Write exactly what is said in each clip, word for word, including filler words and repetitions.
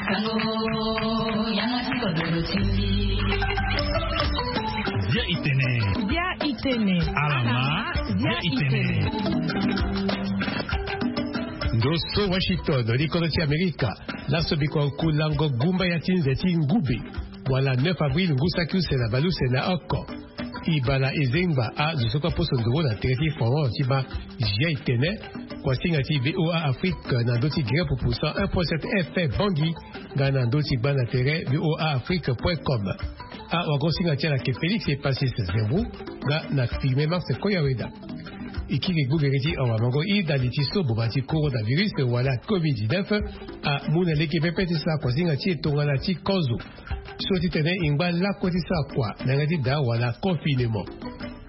Sango, yanga ti kodoro ti mbi. Bia itene. Bia itene. Alama. Bia itene. Ndo so Washington, likodo ti Amerika. Laso biko kulango gumba ya ti nze ti ngube. Wala neuf avril ngu saki use na baleuse na oko. Ibala ezengba azo so kue aposo nduru na tere ti Faran ti ba. Jia itene. Kuasinga ti VOA Afrique na ndö ti gere pupu cent un point sept F M Bangui. Nga na ndö ti gba na tere VOA Afrique point com. Awagosinga ti ala ke Félix Epasis Zembrou. Nga na filme Marc Koyaweda. E kiri gbogere ti awamango ida li ti so boma ti coronavirus wala covid dix-neuf. Amu na lege pepe ti sara kuasinga ti e tongana ti kozo. So titene e ngba lakue ti sara kua na yanga ti daa wala confinement.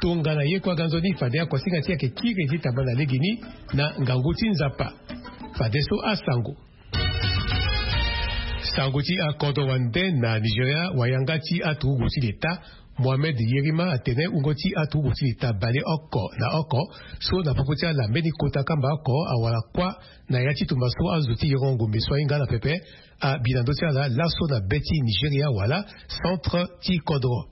Tongana ye kue aga nzoni fade akuasinga ti e ayeke kiri ti tamba na legeni na ngangu ti Nzapa. Fadeso asango. Sango ti akodro wande na Nigeria, wayanga ti aturugu ti leta Mohammed Yerima atene wungo ti aturugu ti leta bale oko na oko so na popo ti ala mbeni kota kamba oko awara kuâ na ya ti tumba so azo ti yongo ngombe so ahinga ala pepe. Abi na ndö ti ala laso na be ti Nigeria wala centre ti kodro.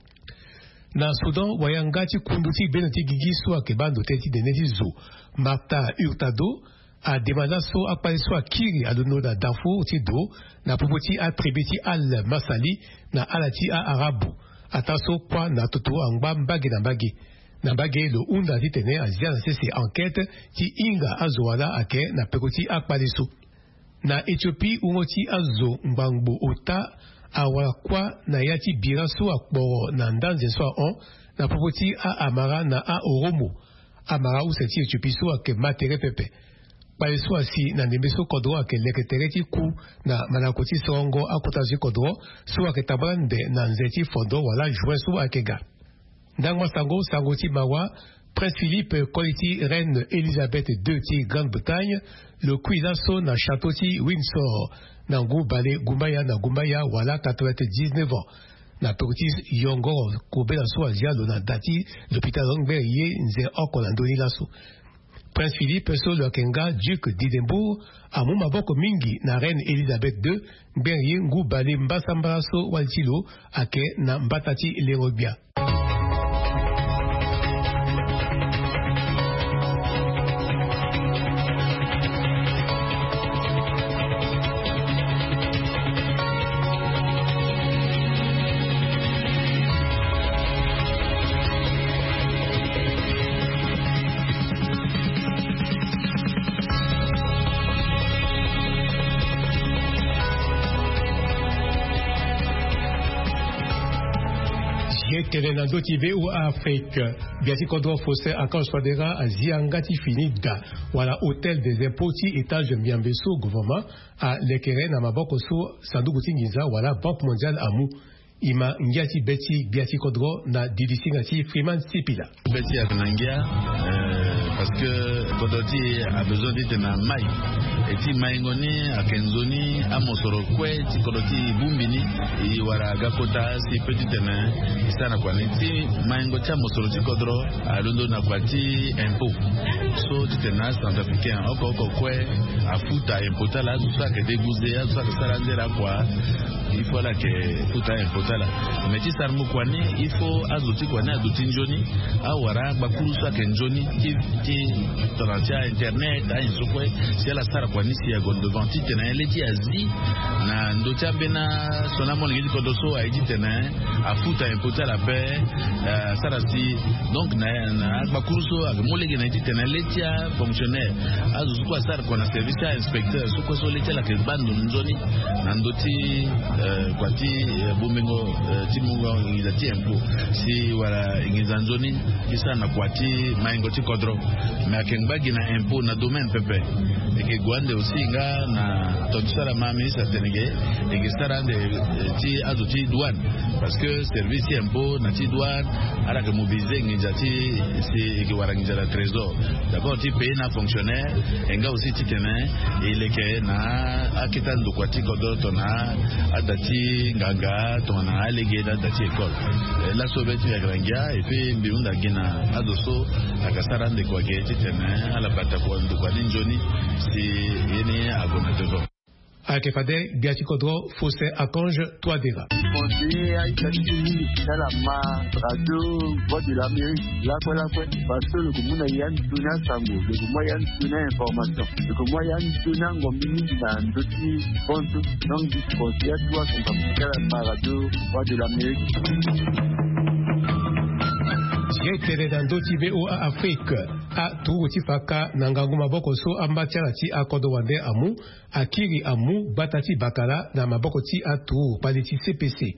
Na Soudan, wayanga ti kundu ti gbeno ti gigi so ayeke baa ndo tënë ti nene ti zo, Martha Hurtado, adema laso akpale so akiri alondo na Darfour ti do na popo ti atribu ti Al Masali na ala ti a-Arabu. Ataa so kuâ na toto angba mbage na mbage. Na mbage lo hunda titene azia na sese enquête ti hinga azo wala ayeke na peko ti akpale so. Na Éthiopie, wungo ti azo ngbangbo ota awara kuâ na ya ti bira so akporo na ndanze so ahon na popo ti a-Amara na a-Oromo. Amara use ti Éthiopie so ayeke ma tere pepe. Kpale so asi na ndembe so kodro ayeke leke tere ti ku na mandako ti sorongo akota zo ti kodro so ayeke tambula nde na nze ti fondo wala juin so ayeke ga. Ndangba sango, sango ti mawa, Prince Philippe, koli ti Reine Elizabeth deux ti Grande-Bretagne, lo kui laso na château ti Windsor na ngu bale gumbaya na gumbaya wala quatre-vingt-dix-neuf ans. Na peko ti yongoro kobela so azia lo na da ti lopitalo ngbere ye nze oko na ndö ni laso. Prince Philippe so lo yeke nga Duc d'Édimbourg amu maboko mingi na Reine Elizabeth deux, ngbere ye ngu bale mbasambala so wali ti lo ayeke na mbata ti lengo-gbia. Ye tene na ndö ti VOA Afrique. Gbia ti kodro Faustin Archange Touadéra azia nga ti fini da wala hôtel des impôts ti étage Miambe so gouvernement alekere na maboko so sanduku ti nginza wala Banque Mondiale amu. E ma ngia ti be ti gbia ti kodro na dilisinga ti Freeman Sipila. Be ti e ayeke na ngia, eh, parce que kodro ti e abezoin titene amai. E ti maingo ni ayeke nzoni amosoro kue ti kodro ti e bongbi ni. E wara aga kota si e peut titene e sara na kua ni. Ti maingo ti amosoro ti kodro alondo na kua ti impôt. So titene acentrafricain oko oko kue afuta impôt ti ala, azo so ayeke déguisé, azo so ayeke sara anzere akua, il faut ala yeke futa impôt ti ala. Mais ti sarango kua ni, il faut azo ti kua ni aduti nzoni, awara agbakuru so ayeke nzoni ti, ti tongana ti a-internet, ayen so kue, si ala sara kua ni si ague devant titene le ti azi na ndö ti ambeni asioni amolenge ti kodro so aye titene afuta impôt ti ala ape, eh, asara si. Donc na, na agbakuru so ayeke mu lege na e titene le ti afonctionnaire, azo so kue asara kua na service ti a-inspecteur so kue so le ti ala ayeke baa ndo nzoni na ndö ti, eh, kua ti, eh, bongbingo, eh, ti mungo nginza ti impôt si wara nginza nzoni ti sara na kua ti maingo ti kodro. Mais ayeke ngba gi na impôt na domaine pepe. E yeke gue ande aussi nga na tonga ti so ala ma ministre atene ge, e yeke sara ande, eh, ti azo ti douane. Parce que service ti impôt na ti douane, ala yeke mobiliser nginza ti, si e yeke wara nginza na trésor. D'abord ti payer na fonctionnaire, e nga aussi titene e leke na akete ndokua ti kodro tongana ada ti nganga, tongana alege na ada ti école. Eh, laso be ti e ayeke na ngia, et puis mbi hunda gi na azo so ayeke sara ande kua ge titene ala bata kua ndokua ni nzoni si ye ni ague na devant. Ayeke fade gbia ti kodro Faustin Archange Touadéra. Conseiller aita ti mingi ti ala ma radio Voix de l'Amérique lakue lakue, parce que lo ko mu na ya ni toni asango, lo ko mu ya ni toni ainformation, lo ko mu ya ni toni angombi mingi na ndö ti fonds. Donc conseiller atu akonga ti ala ma radio Voix de l'Amérique. Ye tene na ndö ti VOA Afrique, aturugu ti faka na ngangu maboko so amba ti ala ti akodro wande amu, akiri amu gbata ti bakala na maboko ti aturugu kpali ti C P C.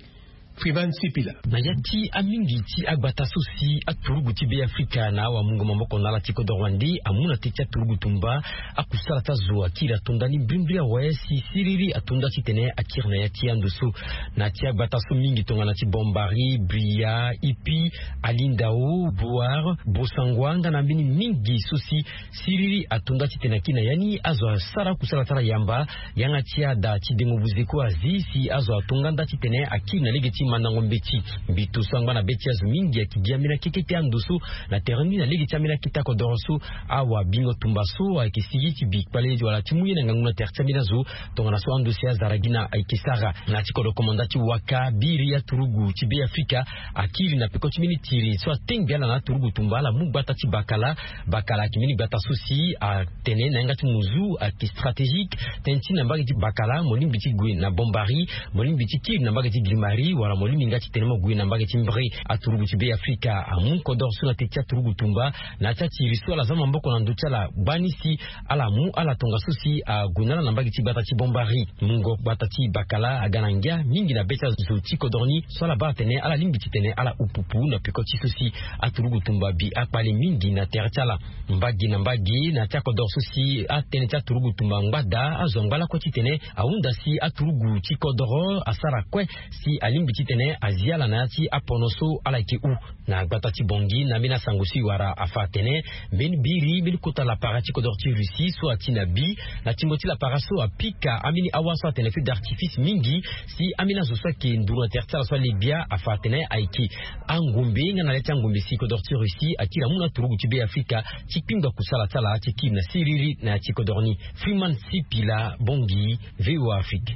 Freeman Sipila. Na ya ti amingi ti agbata so si aturugu ti Be Afrika na awamungo maboko na ala ti kodro wande amu na te ti aturugu tumba, akusala ti azo akiri ato nda ni mbrimbri awe si siriri ato nda titene akiri na ya ti ando so. Na ya ti agbata so mingi tongana ti Bombari, Bria, Ipi, Alindao, Boar, Bosangwa nga na mbeni mingi so si siriri ato nda titene akiri na ya ni, azo asara kusala ti ala yamba yanga ti ada ti dengo buzeko azi si azo ato nga nda titene akiri na lege ti mandango mbeti. Mbi to so angba na be ti azo mingi ayeke gi ambeni akete ti ando so na tere ni na lege ti ambeni akete akodoro so. Awabingo tumba so ayeke sigi ti bi kpale wala ti mu ye na ngangu na tere ti ambeni azo. Tongana so ando si azara gi na ayeke sara na ya ti kodro komanda ti waka biri aturugu ti Be Afrika akiri na peko ti mbeni tiri so atengbi ala na aturugu tumba ala mu gbata ti bakala. Bakala ayeke mbeni gbata so si atene na yanga ti muzu ayeke stratégique, tënë ti na mbage ti bakala mo lingbi ti gue na Bombari, mo lingbi ti kiri na mbage ti Grimari wala mo lingbi nga ti tene mo gue na mbage ti Mbre. Aturugu ti Be Afrika amu kodoro so na te ti aturugu tumba na ya ti atiri so ala za maboko na ndö ti ala gbani si ala mu ala tongaso si ague na ala na mbage ti gbata ti Bombari. Mungo gbata ti bakala aga na ngia mingi na be ti azo ti kodro ni so ala baa atene ala lingbi titene ala upupu na peko ti so si aturugu tumba bi akpale mingi na tere ti ala. Mbage na mbage na ya ti akodoro so si atënë ti aturugu tumba angba daa azo angba lakue titene ahunda si aturugu ti kodoro asara kue si alingbi titene azi ala na ya ti apono so ala yeke hu. Na gbata ti Bangui na ambeni asango so e wara afa atene mbeni biri mbeni kota lapara ti kodoro ti Russie so ati na bi na tingo ti lapara so apika ambeni awa so atene feu d'artifice mingi si ambeni azo so ayeke nduru na tere ti ala so ale gbia afa atene ayeke angombe nga na le ti angombe si kodoro ti Russie akiri amu na aturugu ti Be Afrika ti kpingba kusala ti ala ti kiri na siriri na ya ti kodoro ni. Freeman Sipila, Bangui, VOA Afrique.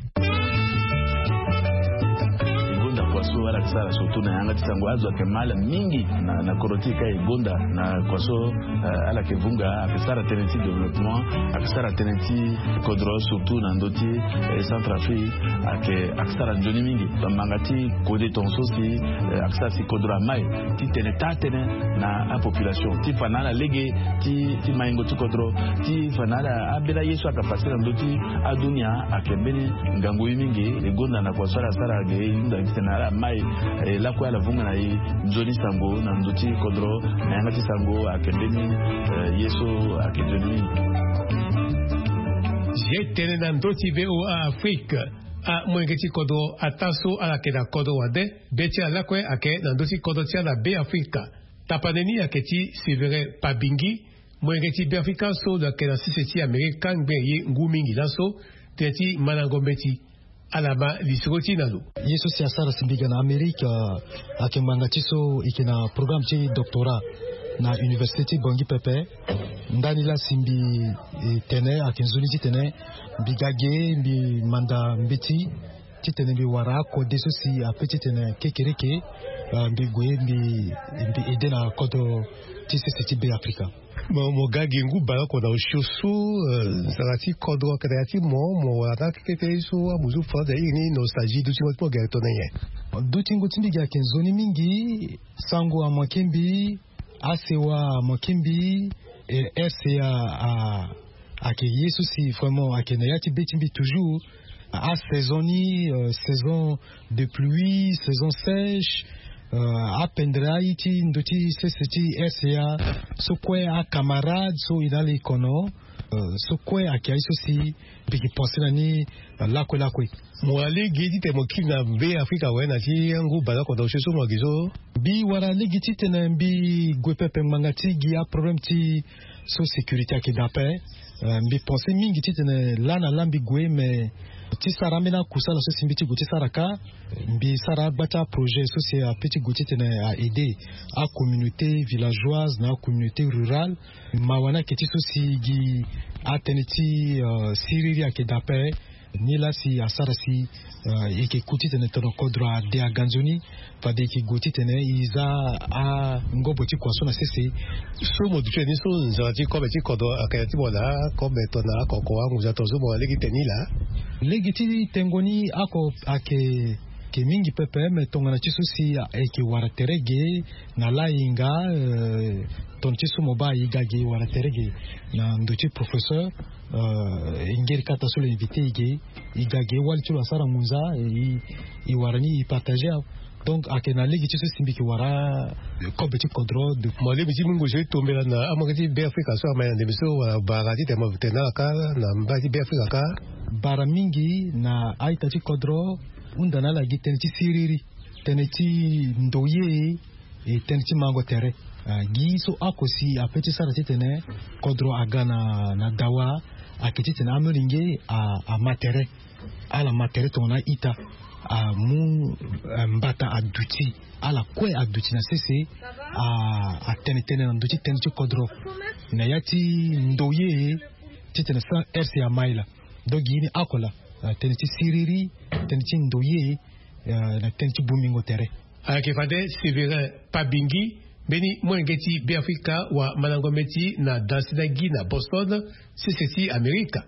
E gonda kua so ala yeke sara surtout na yanga ti sango azo ayeke mal mingi na, na kodro ti e ka e gonda na kua so, eh, ala yeke vunga ayeke sara tënë ti développement, ayeke sara tënë ti kodro surtout na ndö ti, eh, Centrafrique ayeke, ayeke sara nzoni mingi. Bamanga ti kode tongaso si, eh, ayeke sara si kodro amai titene taa tënë na apopulation ti fa na ala lege ti, ti maingo ti kodro ti fa na ala abela ye so ayeke pase na ndö ti adunia ayeke mbeni ngangu ye mingi. E gonda na kua so ala sara ge e hunda titene ala mai, eh, lakue ala vunga na e nzoni sango na ndö ti kodro na yanga ti sango ayeke mbeni, eh, ye so ayeke nzoni mingi. Ye tene na ndö ti VOA Afrique, amolenge ti kodro ataa so ala yeke na kodro wande be ti ala lakue ayeke na ndö ti kodro ti ala na Be Afrika. Tapande ni ayeke ti Sévérin Pabingi, molenge ti Be Afrika so lo yeke na sese ti Amerika ngbene ye ngu mingi laso, tënë ti mandango mbeti. Ala ma lisoro ti e na lo. Ye so si asara si mbi ga na Amerika ayeke ngbanga ti so e yeke na programme ti doctorat na université ti Bangui pepe. Ndani laa si mbi, eh, tene ayeke nzoni titene mbi ga ge mbi manda mbeti titene mbi wara akode so si ape titene kekereke, eh, mbi gue mbi, mbi aide na kodro ti sese ti Be Afrika. Mo, mo ga gi ngu baleoko na osio so, eh, nzara ti kodro ayeke na ya ti mo, mo wara na akete so amuzu France na iri ni nostalgie dutingo ti mo gere tongana nyen? Dutingo ti mbi gi ayeke nzoni mingi. Sango amanke mbi, asewa amanke mbi, eh, RCA a, ayeke ye so si vraiment ayeke na ya ti be ti mbi toujours. Asaison ni, euh, saison de pluie, saison sèche, euh, apendre aye ti ndö ti sese ti RCA so kue acamarade so e na ala e kono, euh, so kue ayeke aye so si mbi yeke pense na ni, euh, lakue lakue. Mo wara lege titene mo kiri na Be Afrika awe na ti angu baleoko na osio so mo gi so? Mbi wara lege titene mbi gue pepe ngbanga ti gi aproblème ti so sécurité ayeke daa ape. Euh, mbi pense mingi titene laa na laa mbi gue, mais ti sara ambeni akusala so si mbi ti gue ti sara kâ, mbi sara agba ti aprojet so si ape ti gue titene a aide acommunauté villageoise na acommunauté rurale. Mawa ni ayeke ti so si gi atënë ti, euh, siriri ayeke daa ape. Ni laa si asara si e yeke ku titene tono kodro ade aga nzoni. Fade e yeke gue titene e za angobo ti kua so na sese. So mo duti ni so nzara ti kobe ti kodro ayeke na ya ti mo na akobe tongana akoko anguza tongana so mo na lege ti tene ni laa. Lege ti tengo ni oko ayeke mingi pepe me tongana ti so si e yeke wara tere ge na lahinga. Tongana ti so mo baa e ga ge e wara tere ge na ndo ti professeur. E ngeri kata so lo invite e ge e ga ge wali ti lo asara ngunza. E wara ni e partager awe. Donc ayeke na lege ti so si mbi yeke wara kobe ti kodro. Mo lingbi ti mu ngonzo ti tombela na amolenge ti Beafrika so amai na ndembe so wala bara titene mo tene na ala kâ na mbai ti Beafrika kâ. Bara mingi na a-ita ti kodro hunda na ala gi tënë ti siriri, tënë ti ndoye, e tënë ti mango tere. Gi so oko si ape ti sara titene kodro aga na dawa ayeke titene amolenge ama tere. Ala ma tere tongana a-ita amu mbata aduti, ala kue aduti na sese. Atene tënë na ndö ti tënë ti kodro na ya ti ndoye titene sans rc amai laa. Donc gi ye ni oko laa, tënë ti siriri, tënë ti ndoye, na tënë ti bongbingo tere. Ayeke fade Sévérin Pabingi, mbeni molenge ti Beafrika wa mandango meti na dansi na gi na Boston, sese ti Amerika.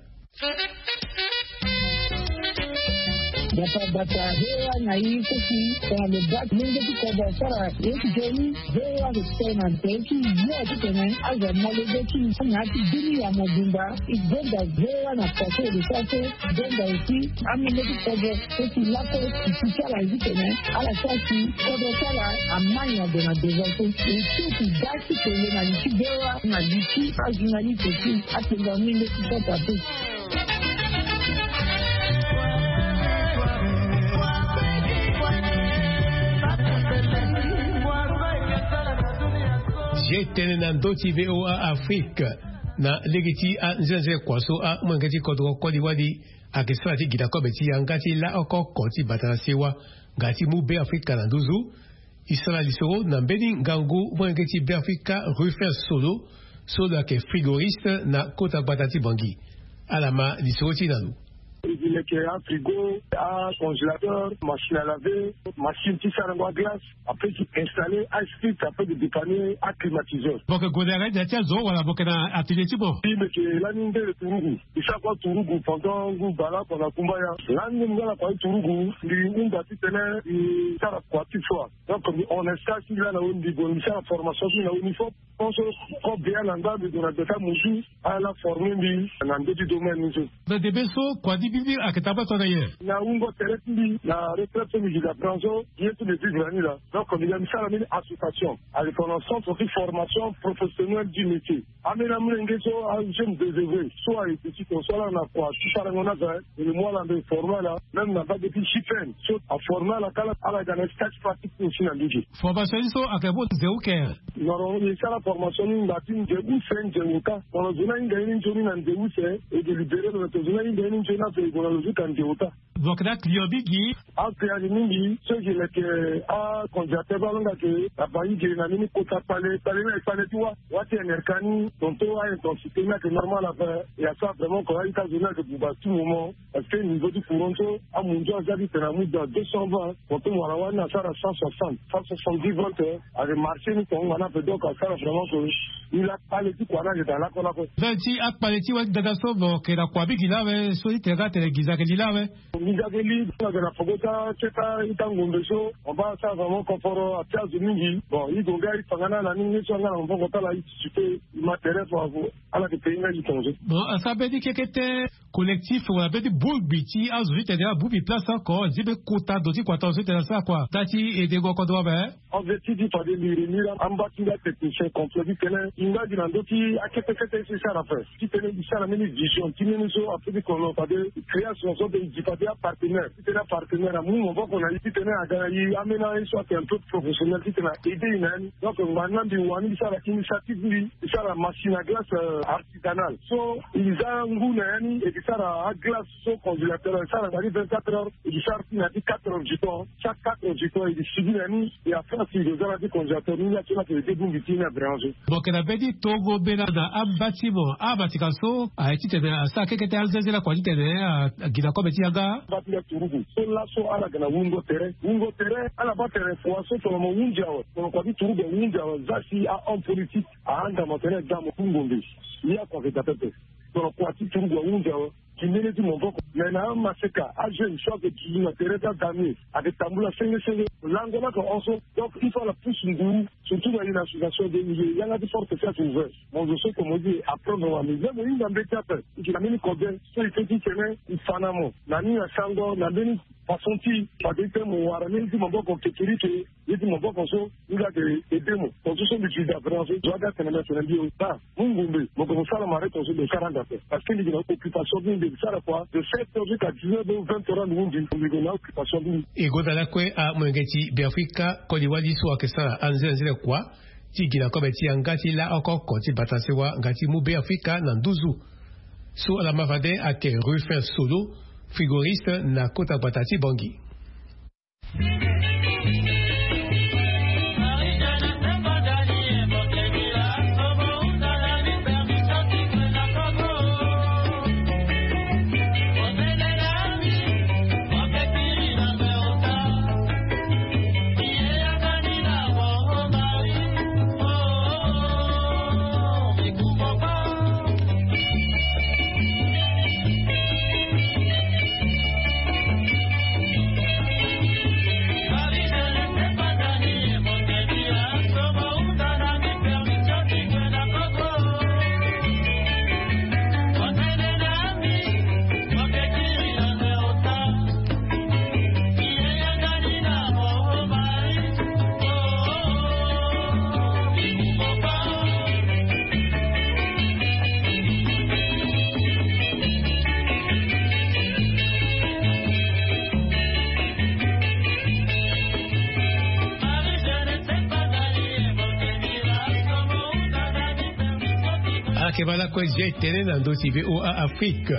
Bata bata hewa na ye kosi tongana lo baa molenge ti kodro asara ye ti joni. Hewa respect na ntere ti yo titene azo molenge ti na ya ti bini ya mobimba. E gonda hewa na kua so e lo sara so. Gonda aussi amolenge ti kodro so si lakue e si ti ala ye titene ala sara si kodro ti ala amai na gue na devant so. E so si ga ti kele na li ti hewa na li ti ajournaliste aussi. Atenga molenge ti kota so. Zia tënë na ndö ti VOA Afrique. Na lege ti anzenze kua so amolenge ti kodro koli wali ayeke sara ti gi na kobe ti yanga ti laoko oko ti bata na sewa nga ti mu Beafrika na nduzu. E sara lisoro na mbeni ngangu molenge ti Beafrika Rufin Solo, so lo yeke frigoriste na kota gbata ti Bangui. Ala ma lisoro ti e na lo. E yeke afrigo, acongélateur, machine à laver, machine ti sarango aglace. Après ti installer asprit, après ti dépanner aclimatiseur. Boke gonda yanga ti da ti azo wala boke na atelier ti mo? Mbi meke lani ndele turugu. Mbi sara kua turugu pendant ngu baleoko na kumbaya. Lani ngu nga na kua ti turugu mbi hunda titene mbi sara kua ti foi. Donc mbi hon na stage ti mbi laa na weni mbi gue mbi sara formation ti mbi na weni fop. Pense kobia na nda mbi gue na gbeta musu. Ala forme mbi na ndö ti domaine ni so. Na debe so kua ti mbi mbi ayeke tambula tongana nyen? Na wungo tere ti mbi na retraite so mbi gi na branche so. Ye so mbi vivre na ni laa. Donc mbi ga mbi sara mbeni association. Ayeke tongana centre ti formation professionnelle du métier. Ambeni amolenge so ajeune désœuvré so aye duti tongaso ala na kua ti sarango ni aza. E le mu ala mbe forme ala même na mbage ti chipene so aforme ala kâ. Ala ga na stage pratique ti aussi na mbage. Formation ni so ayeke mu nze uke? Noro e sara formation ni ngba ti nze use nze ota. Tongana zo ni ahinga ye ni nzoni na nze use e délibéré lo na tongana zo ni ahinga ye ni nzoni ape e gue na lo zo ka nze ota. Lo yeke na aclient mingi. Aclient ayeke mingi so e yeke leke acongélateur baa alonga ke na bangi ge na mbeni kota kpale kpale ni ayeke kpale ti wâ. Wâ ti enerka ni tonton a intensité ni ayeke normal ape. E asara vraiment ko a-ita zo ni ayeke buba tout moment. Parce que niveau ti courant so amunzu aza ti tene amu dans deux cent vingt. Tonton mo wara wani asara cent soixante, cent soixante-dix volts. Ayeke marché ni tonga na ape donc asara vraiment ko. Ni la kpale ti kua ni ayeke daa lakue lakue. Ndali ti akpale ti wâ ti dada so mo yeke na kua mingi laa awe so ti tene nga atene gi nzake li laa awe. Nginza ge li ayeke na poko ti aketa ita ngombe so. Mo baa asara vraiment confort atia azo mingi. Bon i gue nga i fa nga na ala ni nge so anga na maboko ti ala i ti supe i ma tere fo. Ala yeke payé nga i tongaso. Bon asara mbeni kekete collectif wala mbeni bongbi ti azo ti tene abongbi place oko zi mbeni kota ndo ti kua tongaso ti tene asara kua nda ti edengo kodro ape. Objectif ti fade mbi réunir amba ti nga technicien complet ti tene i nga gi na ndö ti akete kete so i sara ape. Ti tene i sara mbeni vision ti mbeni so ape ti kono fade création so mpe i gi fade apartenaire ti tene apartenaire amu maboko na i ti tene aga na i ambeni aye so ayeke un peu professionnel ti tene a aidé i na ya ni. Donc ngba ni na mbi wani mbi sara initiative mbi mbi sara machine à glace artisanale so i za ngu na ya ni e ke sara aglace so congélateur e sara ngba ni vingt-quatre heures e ke sara ti na ya ti quatre heures du temps. Chaque quatre heures du temps e ke sibi na ya ni e après si e ke za na ya ti congélateur ni ya ti na ke e débongbi ti ni na bréange. Mo yeke na mbeni tongo mbela na amba ti mo abatika so aye titene asara kekete anzenze lakua titene Agila kobe ti aga. Bati ya turugu so laso ala ga na wungo tere wungo tere ala bati ya refoa so tongana mo hunzi awe tongana kua ti turugu ahunzi awe za si ahomme politique ahanda mo tene da mo hungo mbe. Ye akua ke da pepe. Tongana kua ti turugu ahunzi awe. Kimene ti maboko me na amaseka ajeune so ake tuzu na tere ti adamie ake tambula senge senge. Lango laka hon so. Donc il faut ala pousse nguru surtout na ye na association de milieu yanga ti force si ake ouvert. Mo zo so tomo ye apprendre wa mais même mo hinga mbeti ape. Ike na mbeni kobe so ike ti tene ifa na mo na ni na sango na mbeni façon ti fade ti tene mo wara mbeni ti maboko kekeri ke ye ti maboko so. Ni la ke ede mo tontu so mbi ti da vraiment so zo aga tene mbi tene mbi o ta. Mu ngombe mo ke mo sara mare tonso mbi sara anda ape. Parce que mbi ke na occupation ti mbi mbi sara kua de sept heures jusqu'à dix-neuf heures vingt heures anu mu mbi mbi ke na occupation ti mbi. E gonda lakue amolenge ti beafrika koli wali so ayeke sara anzere anzere kua ti gi na kobe ti yanga ti la oko oko ti bata sewa nga ti mu beafrika na nduzu. So ala ma fade ayeke Rufin Solo, frigoriste na kota gbata ti Bangui. Ala yeke baa lakue zia etene na ndö ti VOA Afrique.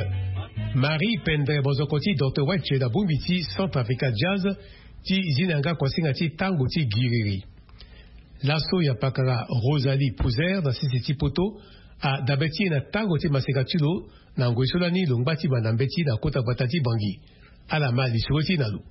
Marie Pendre, bozoko ti Docteur Wetch na bongbi ti Centre Africa Jazz, ti zi na yanga kuasinga ti tango ti giriri. Laso ya pakara Rosalie Pouzer na sese ti poto adabe ti e na tango ti maseka ti lo na ngoi so lani lo ngba ti banda mbeti na kota gbata ti Bangui. Ala ma lisoro ti e na lo.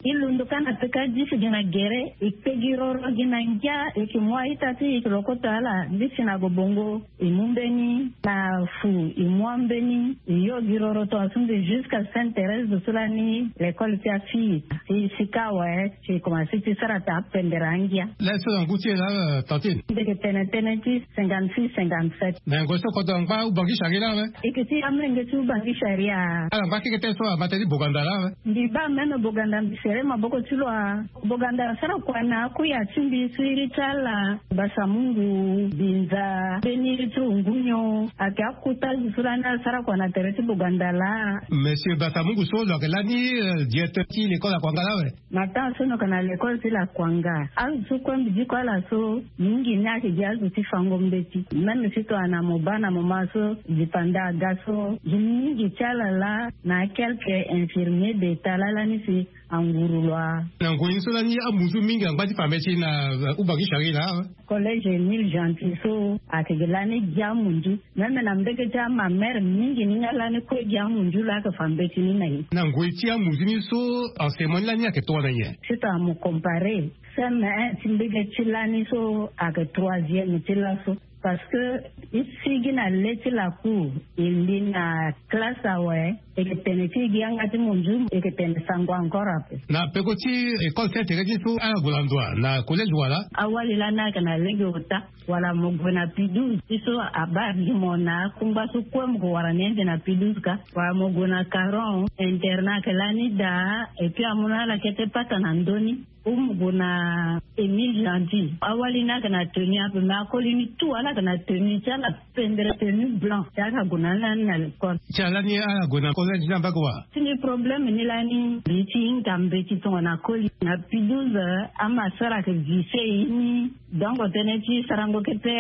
E londo ka na peka disi gi na gere, e kpe gi roro gi na ngia, e yeke mu a-ita ti e, e yeke lokoto ala ndisi na gobongo. E mu mbeni na fu, e mu ambeni, e yo gi roro tongaso mbi jusqu'à Sainte Thérèse de so lani l'école ti afille. Si sika awe si e komanse ti sara taa pendere angia. Laso na ngu ti e laa, tantine? Mbi yeke tene tënë ti cinquante-six, cinquante-sept. Me ngoi so kodro angba Ubangi Sharia laa awe? E yeke ti amolenge ti Ubangi Sharia. Ala ngba keke tënë so abata ti boganda laa awe? Mbi baa même boganda mbi sere maboko ti lo a. Boganda asara kua na akuya ti mbi so iri ti ala Basamungu, Binza, mbeni iri ti Rungunio. Ayeke akota zo so lani asara kua na tere ti boganda laa. Monsieur Basamungu so lo yeke lani, euh, directeur ti l'école Akuanga laa awe? Na temps so lo yeke na l'école ti la Akuanga, azo so kue mbi diko ala so mingi ni ayeke gi azo ti fango mbeti. Même si tongana mo baa na moment so dipanda aga so, gi mingi ti ala laa na quelques infirmiers d'état laa lani si anguru lo a. Na ngoi ni so lani amuzu mingi angba ti fa mbeti na, euh, Ubangi Sharia laa awe? Collège Émile Gentil so ayeke gi lani gi amunzu. Même na mbege ti amamere mingi ni nga lani kue gi amunzu laa ayeke fa mbeti ni na e. Na ngoi ti amuzu ni so, enseignement ni lani ayeke tongana nyen? Si tongana mo comparer, C M un ti mbege ti lani so ayeke troisième ti laso. Parce que e sigi na le ti lacour, e li na classe awe, e yeke tene ti e gi yanga ti munzu, e yeke tene sango encore ape. Na peko ti école Sainte Thérèse so, ala gue na ndo wa na collège wala? Awali lani ayeke na lege ota, wala mo gue na P douze, ti so abaa gi mo na akungba so kue mo gue wara ni ande na P douze ka, wala mo gue na Caron, internat ayeke lani daa, et puis amu na ala kete pata na ndö ni. Ou mo gue na Émile Gentil. Awali ni ayeke na tenue ape, mais akoli ni tout, ala yeke na tenue ti ala, pendere tenue blanc. Ti ala gue na ni lani na l'école. Ti ala ni ala gue na collège ni na mbage wa? Ti ni problème ni lani, mbi ti hinga mbeti tongana koli. Na P douze, amasara ayeke vise e ni. Donc tënë ti sarango kete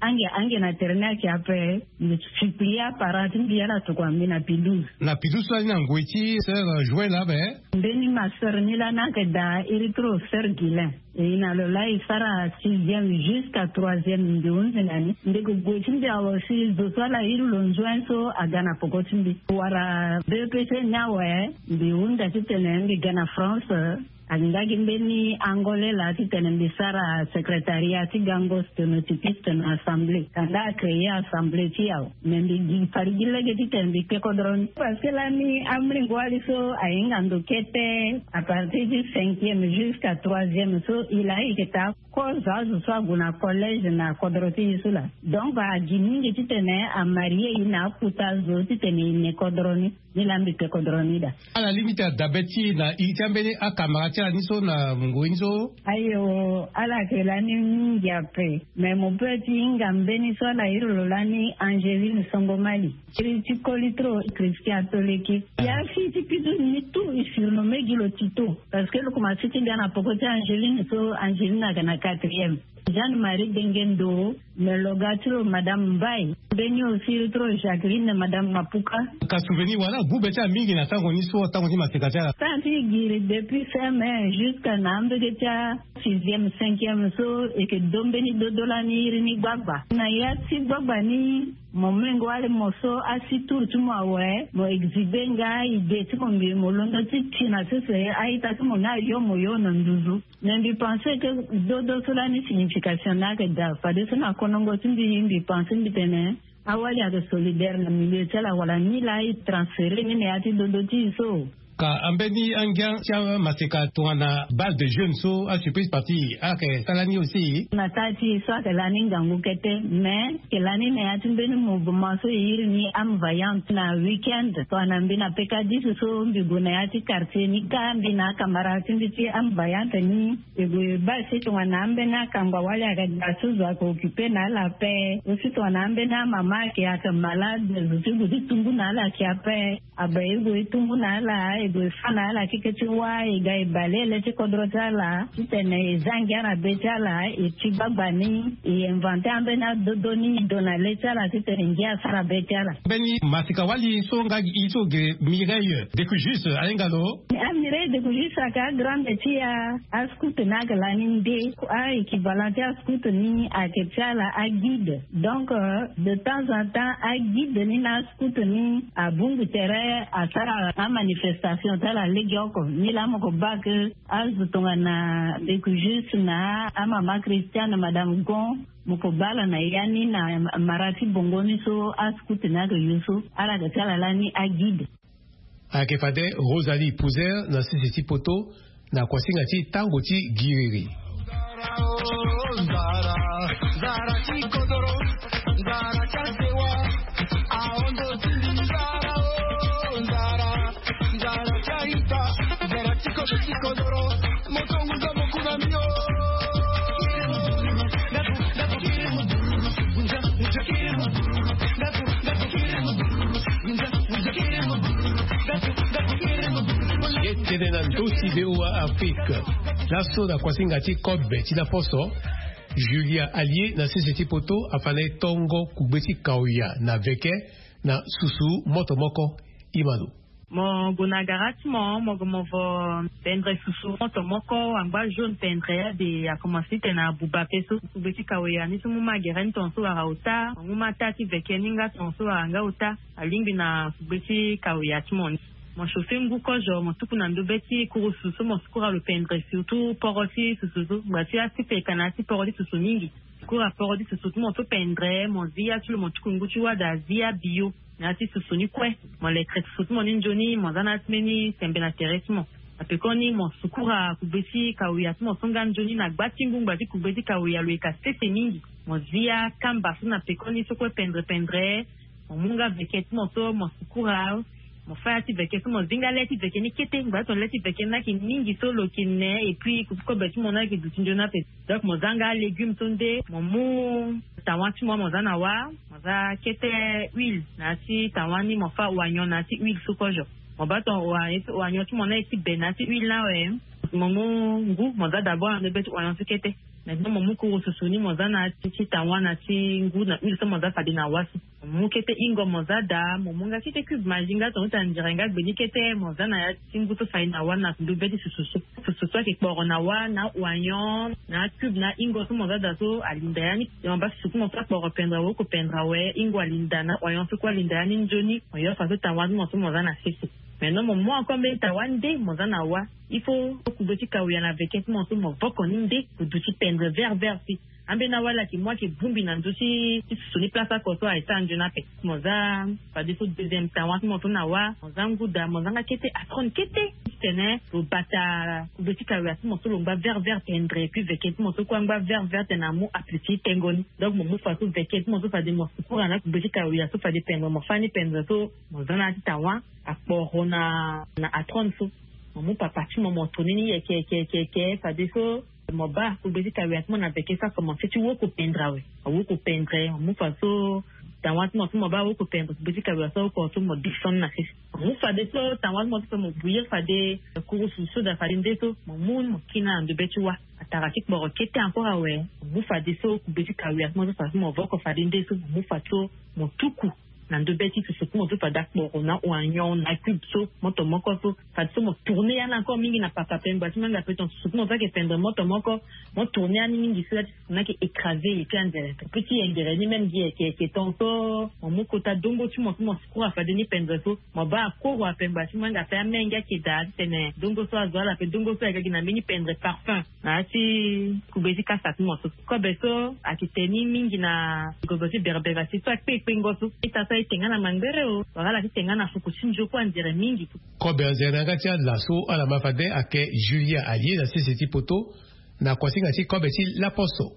ange ange na tere ni ayeke ape. Mbi supplie aparent ti mbi ala tokua mbi na pidouze. Na pidouze so ani na ngoi ti sœur Joël abe. Mbeni ma sœur ni lani ayeke daa iri tro sœur Guilain. E na lo laa e sara sixième jusqu'à troisième mbi hunzi na ni. Mbi yeke gue ti mbi awe si zo so ala iri lo nzuen so aga na poko ti mbi wala bpc ni awe. Mbi hunda titene mbi ga na France. Angba gi mbeni angole laa titene mbi sara secrétariat ti gango sténotypiste na assemblée kanda acréer assemblée ti awe. Mais mbi gi fari gi lege titene mbi kpe kodro ni parce que lani amolenge wali so ahinga ndo kete. À partir du cinquième jusqu'à troisième so e laa e yeke taa kozo azo so ague na collège na kodro ti e so laa. Donc agi mingi titene amarie e na akuta azo titene e ne kodro ni. Ni laa mbi kpe kodro ni daa. Ala lingbi ti adabe ti e na iri ti ambeni akamara ti ala ni so na ngoi ni so. Ayo ala yeke lani mingi ape. Mais mo peut ti hinga mbeni so ala iri lo lani Angeline Songomali. Iri ti koli tro Christian Toleki. Ya fi ti pidouze ni tout e surnomme gi lo Tito. Parce que lo komanse ti ga na poko ti Angeline so Angeline aga na quatrième. Jeanne Marie Dengendo. Mais lo ga ti lo madame Mbaye. Mbeni aussi tro Jacqueline madame Mapuka. Ka souvenir wala gube ti ala mingi na tango ni so tango ti maseka ti ala. Tan ti giri depuis fin mai jusqu'à na ambege ti asixième cinquième so e yeke do mbeni dodo lani iri ni gbagba na ya ti gbagba ni. Mo mengo wali mo so asi tour ti mo awe mo exhibe nga idée ti mo mbi mo londo ti ti na sese a-ita ti mo ni ayo mo yo na nduzu. Mais mbi pense ke dodo so lani signification ni ayeke daa fadeso na konongo ti mbi mbi pense mbi tene awali ayeke solidaire na milieu ti ala wala ni laa e transfere ni na ya ti dodo ti e so. Ka ambeni angia ti amaseka tongana bal de jeune so asurprise parti ayeke sara ni aussi. Na taa ti e so ayeke lani ngangu kete mais ayeke lani na ya ti mbeni mouvement so e iri ni ame vaillante na week-end tongana mbi na pekadis so mbi gue na ya ti quartier ni ka mbi na akamara ti mbi ti ame vaillante ni. E gue baa si tongana ambeni akangba wali ayeke ga so zo ayeke occupe na ala ape aussi tongana ambeni amama ayeke ayeke malade zo ti gue ti tungu na ala ayeke ape. Abe e gue e tungu na ala e gue e fa na ala keke ti wâ e ga e bale ele ti kodro ti ala titene e za ngia na be ti ala e ti gbagba ni. E invente ambeni adodo ni e do na le ti ala titene ngia asara be ti ala. Mbeni masika wali so nga gi e so ge Mireille Decujus ahinga lo. Amireille Decujus ayeke agrande ti a ascout ni ayeke lani nde. A équivalent ti ascout ni ayeke ti ala aguide. Donc de temps en temps aguide ni na ascout ni abongbi tere asara amanifestation ti ala legeoko ni laa mo ko baa ke azo tongana Decujus na amama Christiane madame Gon. Mo ko baa ala na ya ni na mara ti bongo ni so ascout ni ayeke yo so ala ga ti ala lani aguide. Ayeke fade Rosalie Pouzer na sese ti poto na kuasinga ti tango ti giriri. Ye tene na ndö ti V O A Afrique. Laso na kuasinga ti kobe ti laposo, Julia Allier na sese ti poto afa na e tongo kugbe ti kaoya na veke na susu moto moko. Imano. Mo gue na gara ti mo mo gue mo vo pendre susu moto moko angba jaune pendre ade akomanse tene abuba pe so kugbe ti kaoya ni so mu ma gere ni tonga so wara ota mo mu ma taa ti veke ni nga tonga so wara nga ota. Alingbi na kugbe ti kaoya ti mo ni. Mo chauffe ngu kozo mo tuku na ndo be ti kurusu so mo sukura lo pendre surtout poro ti susu so ngba ti asi peka na asi poro ti susu mingi. Sukura poro ti susu ti mo so pendre mo zi ya ti lo mo tuku ngu ti wada zi ya bio. Na ya ti susu ni kue mo lekre susu ti mo ni nzoni mo za na ya ti mbeni sembe na tere ti mo. Na pekoni mo sukura kugbe ti kaoya ti mo so nga nzoni na gba ti ngu ngba ti kugbe ti kaoya lo yeka sese mingi. Mo zi ya kamba so na pekoni so kue pendre pendre. Mo mu nga veke ti mo so mo sukura. Mo fa ya ti veke so mo zi nga le ti veke ni kete ngba ti tongana le ti veke ni ayeke mingi so lo yeke ne et puis kobe ti mo ni ayeke duti nzoni ape. Donc mo za nga légume so nde mo mu tawa ti mo mo za na wa. Mo za kete huile na ya ti tawa ni mo fa oignon na ya ti huile so kozo. Mo baa tongana oignon ti mo ni aye ti be na ya ti huile ni awe. Mo mu ngu mo za d'abord na ndo be ti oignon so kete. Maintenant mo mu kuru susu ni mo za na ti ti tawa na ti ngu na huile so mo za fade na wa so. Mo mu kete ingo mo za daa, mo mu nga kete cube maji nga tonga ti anzere nga gbe ni kete mo za na ya ti ngu so fade na wa na ndo be ti susu so. Susu so ayeke kporo na wa na oignon na cube na ingo so mo za daa so alinda ya ni. Mo baa susu ti mo so akporo pendra woko pendra awe, ingo alinda na oignon so kue alinda ya ni nzoni. Mo yo fa so tawa ti mo so mo za na sese. Maintenant mo mu encore mbeni tawa nde mo za na wa. Il faut kube ti kawia na veke ti mo so mo voko ni nde kudu ti pendre vert vert si. Ambeni awa ala yeke mu ayeke bongbi na ndö ti susu ni place oko so ayeke sara nzoni ape. Mo za fadeso deuxième tawa ti mo so na wa mo za ngu daa mo za nga kete atrone kete. Titene lo bata kube ti kawia ti mo so lo ngba vert vert pendre epui veke ti mo so kue angba vert vert tene amu apeti ti tengo ni. Donc mo mu fa so veke ti mo so fade mo sukura na kube ti kawia so fade pendre mo fâ ni pendre so mo za na ya ti tawa akporo na na atrone so. Mo mu papa ti mo mo tourne ni yeke yeke yeke yeke fadeso mo baa kube ti kawia ti mo na veke so akomanse ti woko pendre awe. Awoko pendre mo mu fa so tawa ti mo so mo baa awoko pendre kube ti kawia so awoko so mo descendre na sese. Mo mu fadeso tawa ti mo so mo bouillir fade kuru susu so daa fade nde so mo mu mo kina na ndo be ti wa. Atara ti kporo kete encore awe. Mo mu fadeso kube ti kawia ti mo so fa so mo voko fade nde so mo mu fa so mo tuku na ndo be ti susu ti mo so fade akporo na oignon na cube so moto moko so. Fadeso mo tourne ya ni encore mingi na papa pengba ti mo yanga pe ton susu ti mo so ayeke pendre moto moko. Mo tourne ya ni mingi so ya ti susu ni ayeke écrasé epui anzere pe ti yengere ni même gi yeke yeke ton so. Mo mu kota dongo ti mo so mo sukura fade ni pendre so. Mo baa akoro apengba ti mo yanga pe amenge ayeke daa titene dongo so azo ala pe dongo so ayeke gi na mbeni pendre parfum. Na ya ti kube ti kasa ti mo so kobe so ayeke tene ni mingi na gozo ti berbera ti so akpe ekpengo so. Ita so aye te nga na mangbere o wala ala ti te nga na fuku ti nzoko anzere mingi. Kobe anzere na yanga ti ala so ala ma fade ayeke julia aye na sese ti poto. Na kuasinga ti kobe ti laposo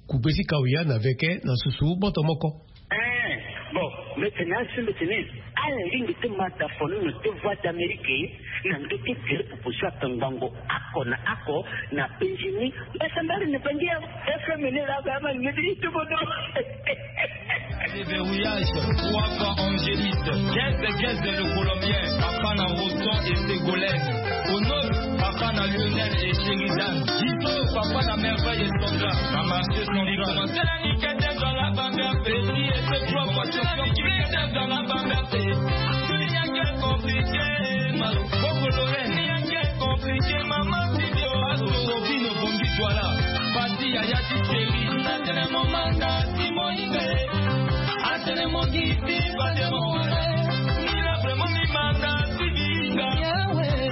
kube ti kawia na veke na susu moto moko. Eh, bon, mete na asi mete ni. Ala lingi ti mata fono na te voix d'amérique na ndo ti tere pupu so akangbango ako na ako na penzi ni. Mbasa mbali na bangi ya fm ni la ba ma ngedi ti bodo. Déverrouillage, trois fois angéliste, quinze quinze le colombien, papa na roton et ségolène, au neuf papa na lionel et sheridan, dix papa na merveille et sandra, na marché central. Compliqué, maman, si Dieu a sauvé nos bons victoires. Parti, yaya, ti chéri. Atene mo manda ti moyibe. Atene mo giti fade mo wale. Ni la vraiment mi manda ti binga.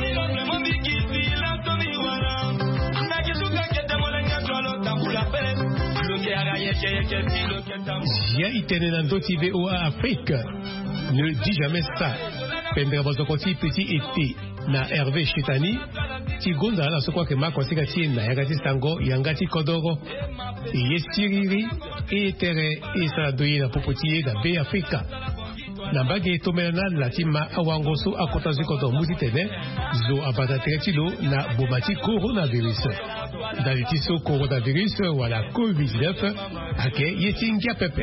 Ni la vraiment mi giti la to mi wala. Na ki suka kete mo lenga to lo tambula pe. Lo ke ara yeke yeke ti lo ke tambula. Zia i tene na ndö ti V O A Afrique. Ne dis jamais ça. Pendere bozoko ti petit été na Hervé Chetani ti gonda ala so kue ayeke ma kosinga ti e na yanga ti sango yanga ti kodoro. E ye siriri, e ye tere, e sara ndo ye na popo ti e na Be Afrika. Na mbage e tombela na ala ti ma awango so akota zo kodoro mu titene zo abata tere ti lo na boma ti coronavirus. Ndali ti so coronavirus wala covid dix-neuf ayeke ye ti ngia pepe.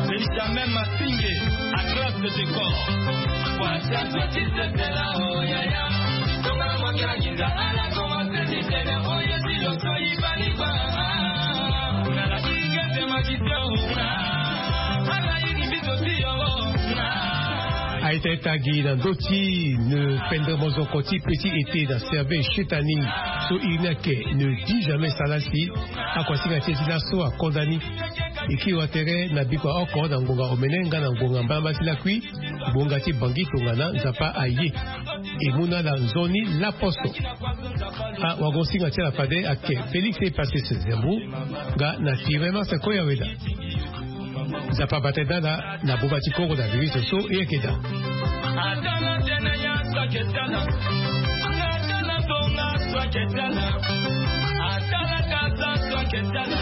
Benjamin Masinge, à classe de décor. Aita ita gi na ndö ti ne pendere mozoko ti petit été na serve chetani. So iri ni ayeke ne dit jamais sala si akuasinga ti e ti laso akonda ni. E kiri wa tere na bikua oko na ngonga omene nga na ngonga mbalamba ti lakui. Ngonga ti bangi tongana nzapa aye. E mu na ala nzoni laposo. Ah, wagosinga ti ala fade ake Félix e pase se zembu. Nga na tirema se koya weda. Nzapa bate dala na buba ti koro na virus so e yeke daa.